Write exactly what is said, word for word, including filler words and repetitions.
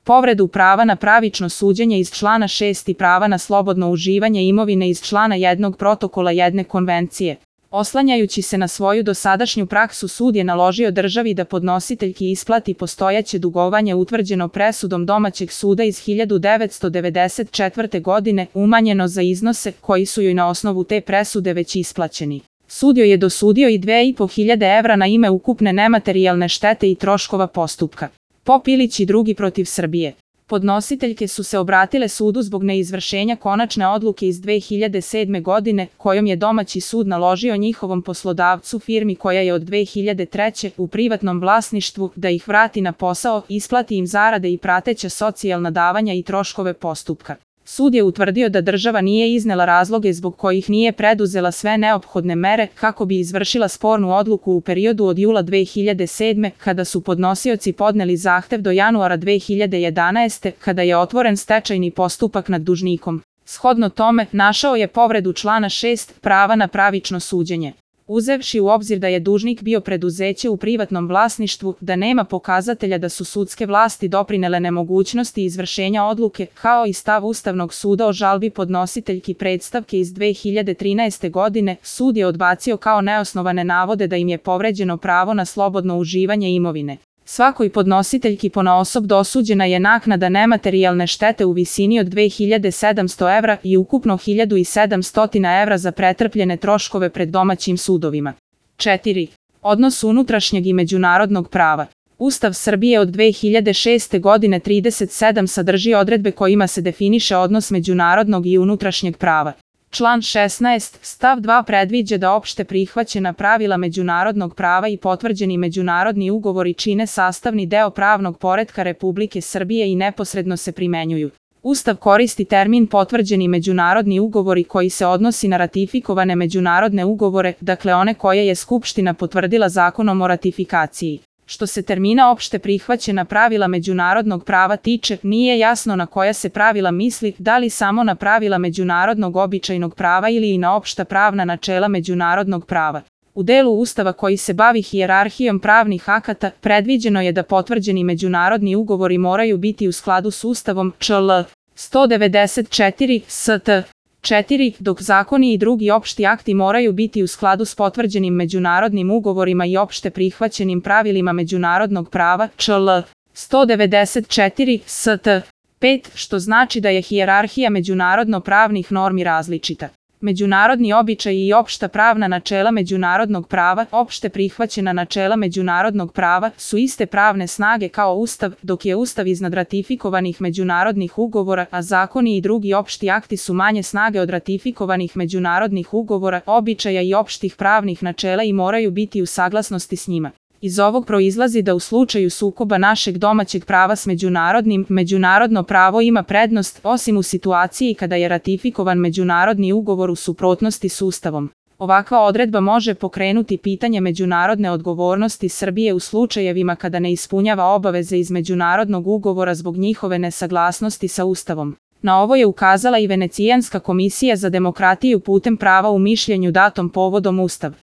povredu prava na pravično suđenje iz člana šest i prava na slobodno uživanje imovine iz člana jednog protokola jedne konvencije. Oslanjajući se na svoju dosadašnju praksu, sud je naložio državi da podnositeljki isplati postojeće dugovanje utvrđeno presudom domaćeg suda iz hiljadu devetsto devedeset četvrte. godine, umanjeno za iznose koji su joj na osnovu te presude već isplaćeni. Sud joj je dosudio i dve i po hiljade evra na ime ukupne nematerijalne štete i troškova postupka. Pop Ilić i drugi protiv Srbije. Podnositeljke su se obratile sudu zbog neizvršenja konačne odluke iz dve hiljade sedme. godine, kojom je domaći sud naložio njihovom poslodavcu, firmi koja je od dve hiljade treće. u privatnom vlasništvu, da ih vrati na posao, isplati im zarade i prateća socijalna davanja i troškove postupka. Sud je utvrdio da država nije iznela razloge zbog kojih nije preduzela sve neophodne mere kako bi izvršila spornu odluku u periodu od jula dve hiljade sedme. kada su podnosioci podneli zahtev do januara dve hiljade jedanaeste. kada je otvoren stečajni postupak nad dužnikom. Shodno tome, našao je povredu člana šest prava na pravično suđenje. Uzevši u obzir da je dužnik bio preduzeće u privatnom vlasništvu, da nema pokazatelja da su sudske vlasti doprinele nemogućnosti izvršenja odluke, kao i stav Ustavnog suda o žalbi podnositeljki predstavke iz dve hiljade trinaeste. godine, sud je odbacio kao neosnovane navode da im je povređeno pravo na slobodno uživanje imovine. Svakoj podnositeljki ponaosob dosuđena je naknada nematerijalne štete u visini od dve hiljade sedamsto evra i ukupno hiljadu sedamsto evra za pretrpljene troškove pred domaćim sudovima. četiri. Odnos unutrašnjeg i međunarodnog prava. Ustav Srbije od dve hiljade šeste. godine trideset sedam sadrži odredbe kojima se definiše odnos međunarodnog i unutrašnjeg prava. Član šesnaest. stav dva predviđa da opšte prihvaćena pravila međunarodnog prava i potvrđeni međunarodni ugovori čine sastavni deo pravnog poretka Republike Srbije i neposredno se primenjuju. Ustav koristi termin potvrđeni međunarodni ugovori koji se odnosi na ratifikovane međunarodne ugovore, dakle one koje je Skupština potvrdila zakonom o ratifikaciji. Što se termina opšte prihvaćena pravila međunarodnog prava tiče, nije jasno na koja se pravila misli, da li samo na pravila međunarodnog običajnog prava ili i na opšta pravna načela međunarodnog prava. U delu Ustava koji se bavi hijerarhijom pravnih akata, predviđeno je da potvrđeni međunarodni ugovori moraju biti u skladu s Ustavom čl. sto devedeset četiri S T. četiri. Dok zakoni i drugi opšti akti moraju biti u skladu s potvrđenim međunarodnim ugovorima i opšte prihvaćenim pravilima međunarodnog prava čl. sto devedeset četiri S T. pet. Što znači da je hijerarhija međunarodno-pravnih normi različita. Međunarodni običaji i opšta pravna načela međunarodnog prava, opšte prihvaćena načela međunarodnog prava, su iste pravne snage kao Ustav, dok je Ustav iznad ratifikovanih međunarodnih ugovora, a zakoni i drugi opšti akti su manje snage od ratifikovanih međunarodnih ugovora, običaja i opštih pravnih načela i moraju biti u saglasnosti s njima. Iz ovog proizlazi da u slučaju sukoba našeg domaćeg prava s međunarodnim, međunarodno pravo ima prednost, osim u situaciji kada je ratifikovan međunarodni ugovor u suprotnosti s Ustavom. Ovakva odredba može pokrenuti pitanje međunarodne odgovornosti Srbije u slučajevima kada ne ispunjava obaveze iz međunarodnog ugovora zbog njihove nesaglasnosti sa Ustavom. Na ovo je ukazala i Venecijanska komisija za demokratiju putem prava u mišljenju datom povodom Ustav.